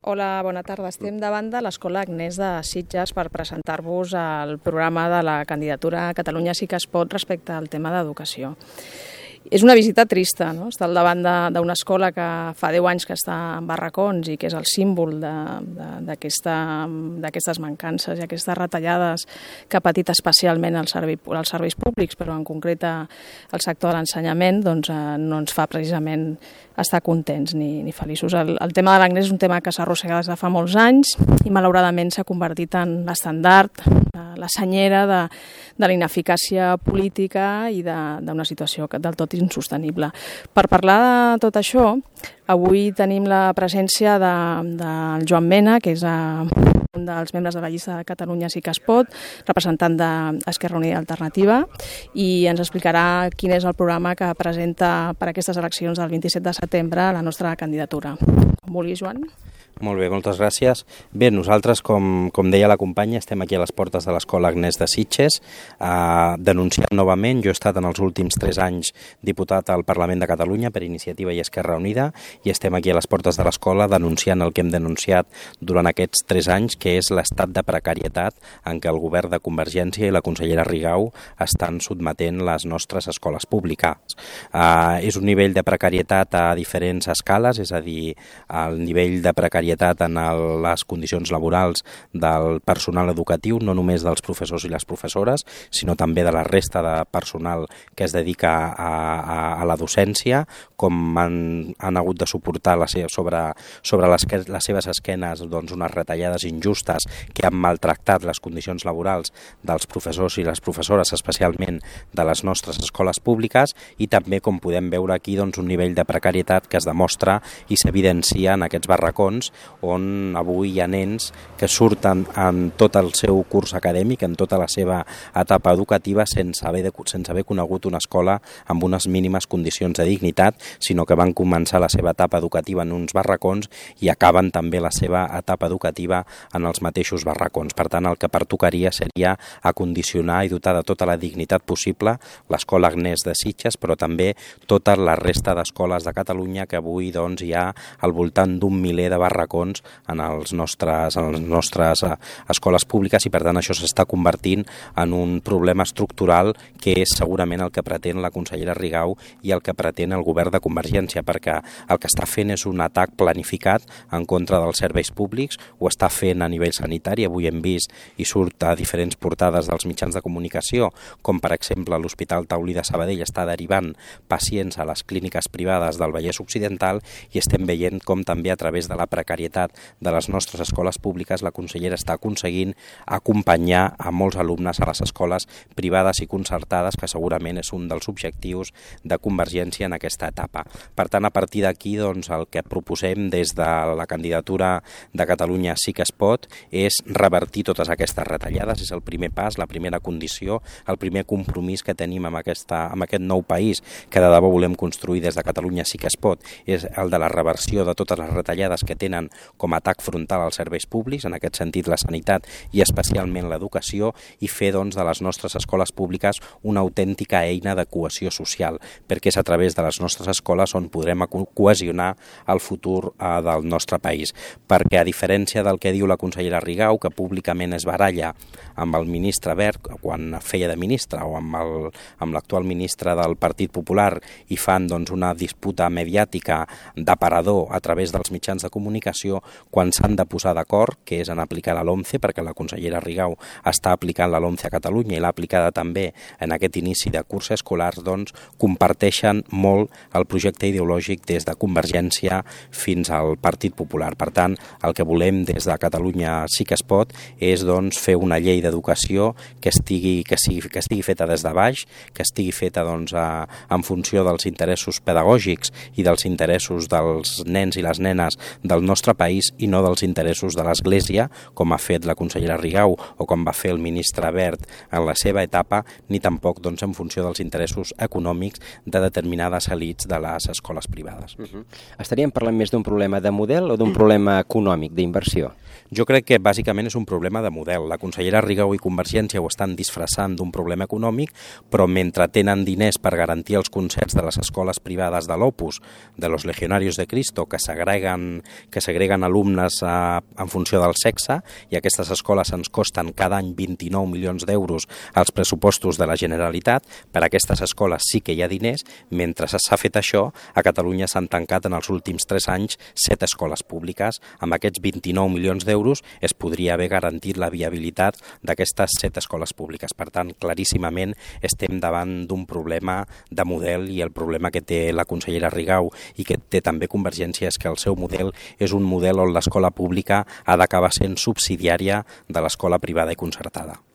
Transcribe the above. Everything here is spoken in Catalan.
Hola, bona tarda. Estem davant de l'Escola Agnès de Sitges per presentar-vos el programa de la candidatura Catalunya sí que es pot respecte al tema d'educació. És una visita trista, no? Estar al davant d'una escola que fa 10 anys que està en barracons i que és el símbol d'aquestes mancances i aquestes retallades que ha patit especialment els serveis públics, però en concret el sector de l'ensenyament, doncs no ens fa precisament estar contents ni feliços. El tema de l'Agnès és un tema que s'arrossega des de fa molts anys i malauradament s'ha convertit en l'estandard, la senyera de la ineficàcia política i d'una situació del tot insostenible. Per parlar de tot això, avui tenim la presència del Joan Mena, que és un dels membres de la llista de Catalunya sí que es pot, representant d'Esquerra Unida i Alternativa, i ens explicarà quin és el programa que presenta per aquestes eleccions del 27 de setembre la nostra candidatura. Com vulguis, Joan. Molt bé, moltes gràcies. Bé, nosaltres, com deia la companya, estem aquí a les portes de l'Escola Agnès de Sitges, denunciant novament. Jo he estat en els últims 3 anys diputat al Parlament de Catalunya per Iniciativa i Esquerra Unida i estem aquí a les portes de l'escola denunciant el que hem denunciat durant aquests 3 anys, que és l'estat de precarietat en què el govern de Convergència i la consellera Rigau estan sotmetent les nostres escoles públiques. És un nivell de precarietat a diferents escales, és a dir, el nivell de precarietat en les condicions laborals del personal educatiu, no només dels professors i les professores, sinó també de la resta de personal que es dedica a la docència, com han hagut de suportar sobre les seves esquenes unes retallades injustes que han maltractat les condicions laborals dels professors i les professores, especialment de les nostres escoles públiques, i també, com podem veure aquí, un nivell de precarietat que es demostra i s'evidencia en aquests barracons on avui hi ha nens que surten en tot el seu curs acadèmic, en tota la seva etapa educativa, sense haver conegut una escola amb unes mínimes condicions de dignitat, sinó que van començar la seva etapa educativa en uns barracons i acaben també la seva etapa educativa en els mateixos barracons. Per tant, el que pertocaria seria acondicionar i dotar de tota la dignitat possible l'Escola Agnès de Sitges, però també tota la resta d'escoles de Catalunya, que avui hi ha al voltant d'un miler de barracons en les nostres escoles públiques, i per tant això s'està convertint en un problema estructural que és segurament el que pretén la consellera Rigau i el que pretén el govern de Convergència, perquè el que està fent és un atac planificat en contra dels serveis públics, ho està fent a nivell sanitari. Avui hem vist i surt a diferents portades dels mitjans de comunicació, com per exemple l'Hospital Taulí de Sabadell està derivant pacients a les clíniques privades del Vallès Occidental, i estem veient com també a través de la precarietat de les nostres escoles públiques la consellera està aconseguint acompanyar a molts alumnes a les escoles privades i concertades, que segurament és un dels objectius de Convergència en aquesta etapa. Per tant, a partir d'aquí, el que proposem des de la candidatura de Catalunya sí que es pot és revertir totes aquestes retallades. És el primer pas, la primera condició, el primer compromís que tenim amb aquest nou país que de debò volem construir des de Catalunya sí que es pot, és el de la reversió de totes les retallades que tenen com a atac frontal als serveis públics, en aquest sentit la sanitat i especialment l'educació, i fer de les nostres escoles públiques una autèntica eina de cohesió social, perquè és a través de les nostres escoles on podrem cohesionar el futur del nostre país. Perquè, a diferència del que diu la consellera Rigau, que públicament es baralla amb el ministre Wert quan feia de ministre, o amb l'actual ministre del Partit Popular, i fan una disputa mediàtica d'aparador a través dels mitjans de comunicació, quan s'han de posar d'acord, que és en aplicar la LOMCE, perquè la consellera Rigau està aplicant la LOMCE a Catalunya i l'ha aplicada també en aquest inici de curs escolar, comparteixen molt el projecte ideològic des de Convergència fins al Partit Popular. Per tant, el que volem des de Catalunya sí que es pot és fer una llei d'educació que estigui feta des de baix, que estigui feta en funció dels interessos pedagògics i dels interessos dels nens i les nenes del nostre país, i no dels interessos de l'Església, com ha fet la consellera Rigau o com va fer el ministre Wert en la seva etapa, ni tampoc en funció dels interessos econòmics de determinades elits de les escoles privades. Estaríem parlant més d'un problema de model o d'un problema econòmic, d'inversió? Jo crec que bàsicament és un problema de model. La consellera Rigau i Convergència ho estan disfressant d'un problema econòmic, però mentre tenen diners per garantir els concerts de les escoles privades de l'Opus, de los Legionarios de Cristo, que segreguen alumnes en funció del sexe, i aquestes escoles ens costen cada any 29 milions d'euros als pressupostos de la Generalitat, per a aquestes escoles sí que hi ha diners. Mentre s'ha fet això, a Catalunya s'han tancat en els últims 3 anys 7 escoles públiques. Amb aquests 29 milions d'euros es podria haver garantit la viabilitat d'aquestes 7 escoles públiques. Per tant, claríssimament estem davant d'un problema de model, i el problema que té la consellera Rigau i que té també Convergència és que el seu model és un model on l'escola pública ha d'acabar sent subsidiària de l'escola privada i concertada.